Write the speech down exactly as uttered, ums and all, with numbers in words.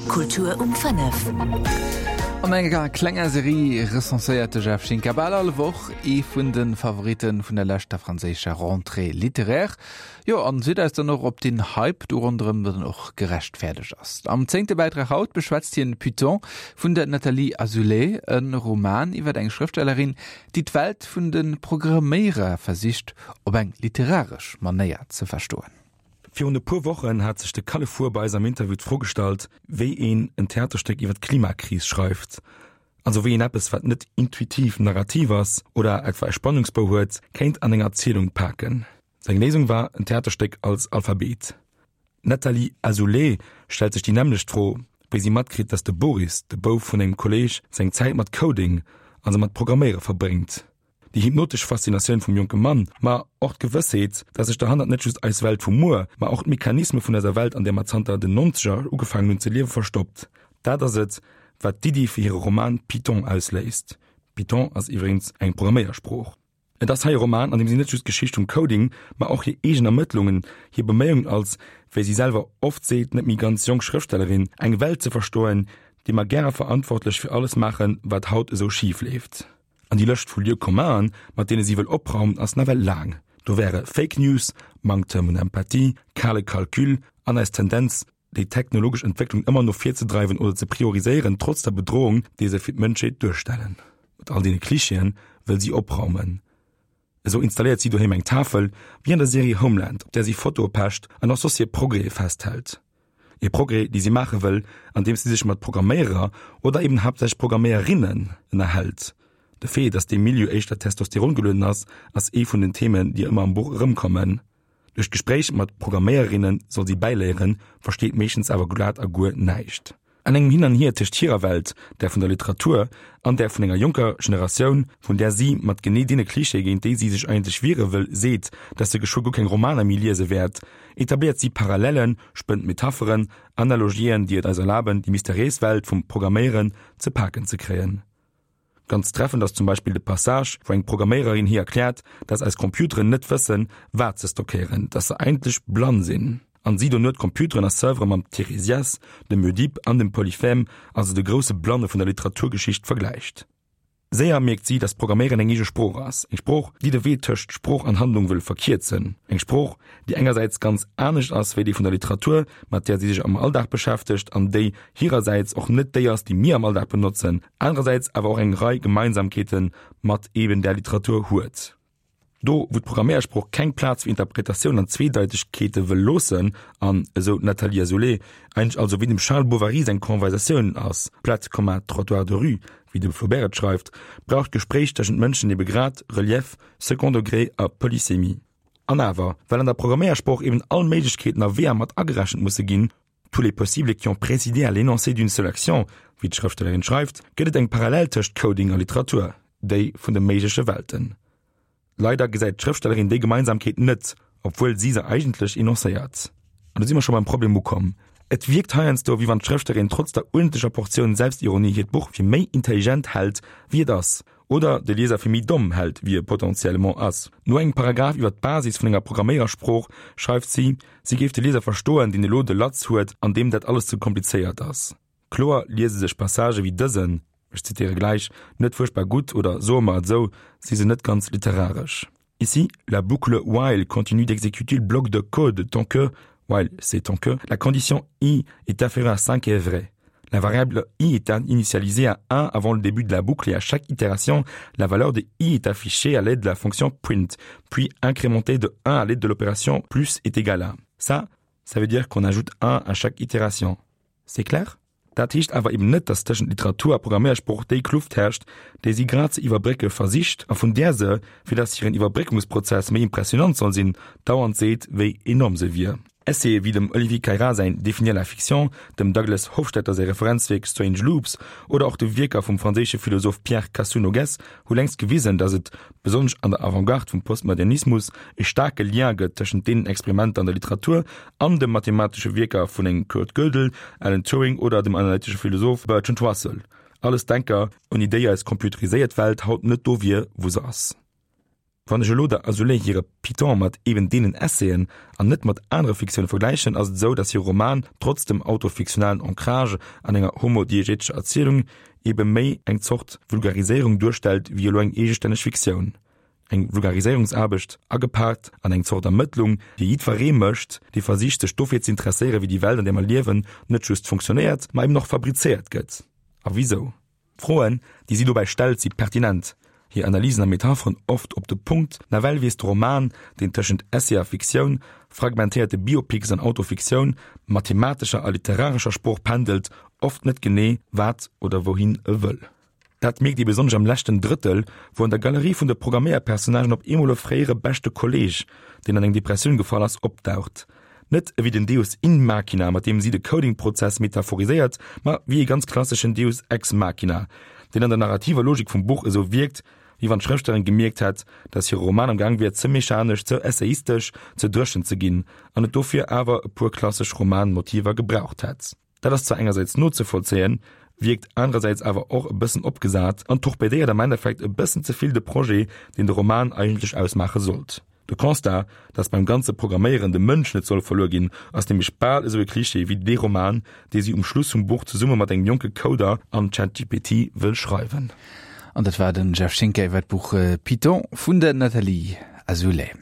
Kultur um fënnef. An enger klenger Serie recenséiert de Jeff Schinker bal all Woch ee vun de Favoritte vun der leschter franséischer Rentrée littéraire. Jo, an seet eis dann och, ob den Hype do ronderëm dann och gerechtfäerdegt ass. Am zéngte Bäitrag haut beschwätzt hien Python vun der Nathalie Azoulay, e Roman iwwer eng Schrëftstellerin, déi d'Welt vun de Programméierer versicht op eng literaresch Manéier ze verstoen. Virun e puer Wochen hat sech de Kalle Fuhr bei eis am Interview d'Fro gestallt, wéi een en Theaterstéck iwwer d'Klimakris schreift. Also wéi een eppes, wat net intuitiv narrativ ass oder etwa e Spannungsbou huet, kéint an eng Erzielung paken. Seng Léisung war en Theaterstéck als Alphabet. D'Nathalie Azoulay stellt sech déi nämmlecht Fro, wéi si matkritt, dass de Boris, de Bouf vun engem Kolleeg, seng Zäit mat Coding, also mat Programméiere verbréngt. Déi hypnotesch Faszinatioun vum jonke Mann, ma och d'Gewëssheet, dass sech derhannert net just eis Welt vu muer, ma och d'Mechanisme vun eiser Welt, an där mer zanter den Nonzeger ugefaangen hunn ze liewen, verstoppt. Dat ass et, wat d'Iddi fir hire Roman Python ausléist. Python ass iwwregens eng Programméiersprooch. Et ass hei e Roman, an deem si net just d'Geschicht vum Coding, ma och hir eegen Ermëttlungen, hir Beméiungen als, wéi si selwer oft seet, net méi ganz jonk Schrëftstellerin, eng Welt ze verstoen, déi mer gäre verantwortlech fir alles maachen, wat haut esou schif leeft. An déi Lëscht vu Lieux-communen, mat deene si wëll opraumen, ass nawell laang. Do wäre Fake News, Manktem un Empathie, kale Calcul an eis Tendenz, déi technologesch Entwécklung ëmmer no vir ze dreiwen oder ze prioriséieren, trotz der Bedrohung, déi se fir d'Mënschheet duerstellen. Mat all deene Klischeeën wëll si opraumen. Esou installéiert si doheem eng Tafel, wéi an der Serie Homeland, op där si Fotoe pecht an och soss hir Progrèse festhält. E Progrès, dee si maache wëll, andeems si sech mat Programméierer oder eben haaptsächlech Programméierinnen ënnerhält. De Fait, dass dee Milieu éischter testosterongelueden ass, ass ee vun den Themen, déi ëmmer am Buch erëmkommen. Duerch d'Gespréich mat Programméierinne soll si bäiléieren, versteet meeschtens awer glat a guer näischt. An engem Hin an Hier tëscht hirer Welt, där vun der Literatur, an där vun enger jonker Generatioun, vun där si mat genee deene Klischeeë géint déi si sech eigentlech wiere wëll, seet, dass se geschwë guer keng Romaner méi liese wäert, etabléiert si Parallellen, spënnt Metapheren, Analogien, déi et eis erlaben, déi mysteriéis Welt vum Programméieren ze paken ze kréien. Ganz treffend ass zum Beispill de Passage, wou eng Programméiererin hir erkläert, dass eis Computeren net wëssen, wat se stockéieren, dass se eigentlech blann sinn. An si dono d'Computeren a Servere mam Tiresias, dem Ödip an dem Polyphème, also de grousse Blanne vun der Literaturgeschicht, vergläicht. Séier mierkt si, dass Programméieren eng eege Sprooch ass, eng Sprooch, déi de Wee tëscht Sprooch an Handlung wëll verkierzen, eng Sprooch, déi engersäits ganz anescht ass wéi déi vun der Literatur, mat där si sech am Alldag beschäftegt an déi hirersäits och net déi ass, déi mir am Alldag benotzen, anerersäits awer och eng Rei Gemeinsamkeete mat eben där Literatur huet. Do, wou d'Programméiersprooch keng Plaz fir Interpretatioun an Zweedeitegkeete wëll loossen an, esou d'Nathalie Azoulay, eigentlech also wéi dem Charles Bovary seng Conversatioun ass, plate comme un trottoir de rue, wéi de Flaubert et schreift, brauch d'Gespréich tëschent Mënschen ebe grad Relief, Second Degré a Polysémie. An awer, well an der Programméiersprooch eben all Méiglechkeeten a Weeër mat agerechent musse ginn, tous les possibles qui ont présidé à l'énoncé d'une seule action, wéi d'Schrëftstellerin schreift, gëtt et eng Parallel tëscht Coding a Literatur, déi vun de méigleche Welten. Leider gesäit d'Schrëftstellerin déi Gemeinsamkeet net, obwuel si se eigentlech enoncéiert. An do si mer scho beim Problem ukomm. Et wierkt heiansdo, wéi wann d'Schrëftstellerin trotz der uerdentlecher Portioun Selbstironie hiert Buch fir méi intelligent hält, wéi et ass, oder de Lieser fir méi domm hält, wéi e potentiellement ass. No engem Paragraph iwwer d'Basis vun enger Programméiersprooch schreift si, si géif de Lieser verstoen, deen elo de Latz huet an deem dat alles ze komplizéiert ass. Kloer liese sech Passagë wéi dësen, ech zitéiere gläich, net fuerchtbar gutt oder, soe mer et esou, si se net ganz literaresch. Ici, la boucle while continue d'exécuter le bloc de code tant que, while c'est tant que, la condition i est inférieure à cinq est vraie. La variable i est initialisée à un avant le début de la boucle et à chaque itération, la valeur de i est affichée à l'aide de la fonction print, puis incrémentée de un à l'aide de l'opération plus est égal à. Ça, ça veut dire qu'on ajoute un à chaque itération. C'est clair? Dat heescht awer eben net, dass tëschent Literatur a Programméiersprooch déi Kluft herrscht, déi si grad ze iwwerbrécke versicht a vun där se, fir dass hiren Iwwerbréckungsprozess méi impressionant soll sinn, dauernd seet, wéi enorm se wier. Essaye wéi dem Olivier Caïra säin Définir la fiction, dem Douglas Hofstadter säi Referenzwierk Strange Loops oder och de Wierker vum franséische Philosoph Pierre Cassou-Noguès hu längst gewisen, dass et, besonnesch an der Avantgarde vum Postmodernismus, e staarke Lien gëtt tëschent deenen Experimenter an der Literatur an de mathematesche Wierker vun engem Kurt Gödel, Alan Turing oder dem analytesche Philosoph Bertrand Russell, alles Denker, ouni déi eis computeriséiert Welt haut net do wier, wou se ass. Wann ech elo der Azoulay hire Python mat eben deenen Essaien an net mat anere Fiktioune vergläichen, ass et esou, datt hire Roman trotz dem autofiktionalen Ancrage an enger homodiegetescher Erzielung ebe méi eng Zort Vulgariséierung duerstellt wéi elo eng eegestänneg Fiktioun. Eng Vulgariséierungsaarbecht agepaakt an eng Zort Ermëttlung, déi jiddweree mécht, dee versicht sech dofir ze interesséieren, wéi déi Welt an där mer liewen net just funktionéiert, ma eben och fabrizéiert gëtt. A wisou? D'Froen, déi si dobäi stellt, si pertinent, hir Analysen a Metapheren oft op de Punkt. Nawell weess de Roman, deen tëschent Essay a Fiktioun, fragmentéierte Biopics an Autofiktioun, mathematescher a literarescher Sprooch pendelt, oft net genee, wat oder wouhin e wëll. Dat mierkt ee besonnesch am leschten Drëttel, wou an der Galerie vun de Programméierpersonnagen op eemol e fréiere beschte Kolleeg, deen an eng Depressioun gefall ass, opdaucht. Net ewéi den Deus in machina, mat deem si de Coding-Prozess metaphoriséiert, ma wéi e ganz klasseschen Deus ex machina, deen an der narrativer Logik vum Buch esou wierkt, wéi wann d'Schrëftstellerin gemierkt hätt, datt hire Roman am Gaang wier, ze mechanesch, ze essayistesch, ze dréchen ze ginn, an et dofir awer e puer klassesch Roman-Motiver gebraucht hätt. Dat ass zwar engersäits nozevollzéien, wierkt anerersäits awer och e bëssen opgesat an torpedéiert am Endeffekt e bëssen ze vill de Projet, deen de Roman eigentlech ausmaache sollt. De Constat, dass beim ganze Programméieren de Mënsch net soll verluer ginn, ass nämlech bal esou e Klischee wéi dee Roman, dee si um Schluss vum Buch zesumme mat engem jonke Coder an ChatGPT wëll schreiwen. An dat war den Jeff Schinker iwwer d'Buch Python vun der Nathalie Azoulay.